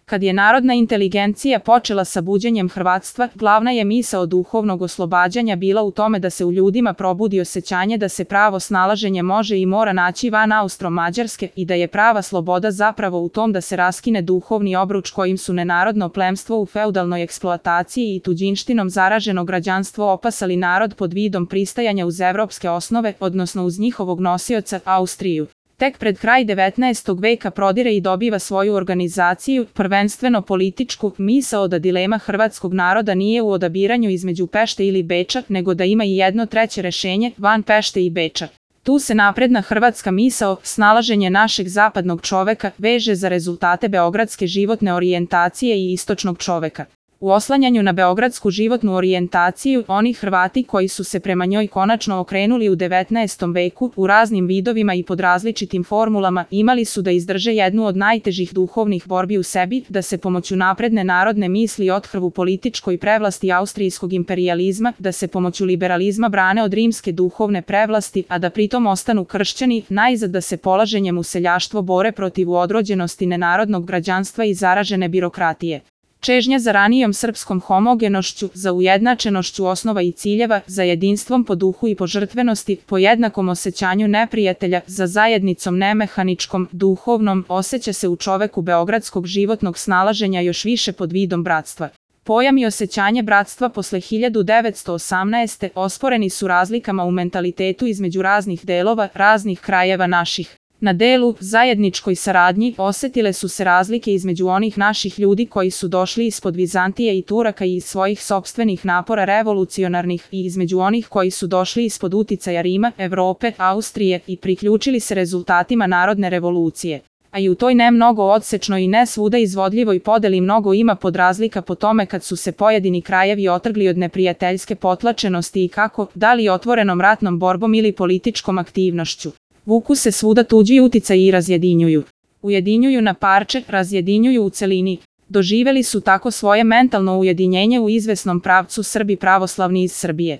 Kad je narodna inteligencija počela sa buđenjem hrvatstva, glavna je misao duhovnog oslobađanja bila u tome da se u ljudima probudi osjećanje da se pravo snalaženje može i mora naći van Austro-Mađarske i da je prava sloboda zapravo u tom da se raskine duhovni obruč kojim su nenarodno plemstvo u feudalnoj eksploataciji i tuđinštinom zaraženo građanstvo opasali narod pod vidom pristajanja uz evropske osnove, odnosno uz njihovog nosioca, Austriju. Tek pred kraj 19. veka prodire i dobiva svoju organizaciju, prvenstveno političku, misao da dilema hrvatskog naroda nije u odabiranju između Pešte ili Beča, nego da ima i jedno treće rešenje, van Pešte i Beča. Tu se napredna hrvatska misao, snalaženje našeg zapadnog čoveka, veže za rezultate beogradske životne orijentacije i istočnog čoveka. U oslanjanju na beogradsku životnu orijentaciju, oni Hrvati koji su se prema njoj konačno okrenuli u 19. veku, u raznim vidovima i pod različitim formulama, imali su da izdrže jednu od najtežih duhovnih borbi u sebi, da se pomoću napredne narodne misli othrvu političkoj prevlasti austrijskog imperijalizma, da se pomoću liberalizma brane od rimske duhovne prevlasti, a da pritom ostanu kršćani, najzad da se polaženjem u seljaštvo bore protiv odrođenosti nenarodnog građanstva i zaražene birokratije. Čežnja za ranijom srpskom homogenošću, za ujednačenošću osnova i ciljeva, za jedinstvom po duhu i po žrtvenosti, po jednakom osjećanju neprijatelja, za zajednicom nemehaničkom, duhovnom, osjeća se u čoveku beogradskog životnog snalaženja još više pod vidom bratstva. Pojam i osjećanje bratstva posle 1918. osporeni su razlikama u mentalitetu između raznih delova, raznih krajeva naših. Na delu, zajedničkoj saradnji, osetile su se razlike između onih naših ljudi koji su došli ispod Vizantije i Turaka i iz svojih sopstvenih napora revolucionarnih i između onih koji su došli ispod uticaja Rima, Evrope, Austrije i priključili se rezultatima narodne revolucije. A i u toj ne mnogo odsečnoj i ne svuda izvodljivoj podeli mnogo ima podrazlika po tome kad su se pojedini krajevi otrgli od neprijateljske potlačenosti i kako, da li otvorenom ratnom borbom ili političkom aktivnošću. Vuku se svuda tuđi uticaji i razjedinjuju. Ujedinjuju na parče, razjedinjuju u celini. Doživeli su tako svoje mentalno ujedinjenje u izvesnom pravcu Srbi pravoslavni iz Srbije.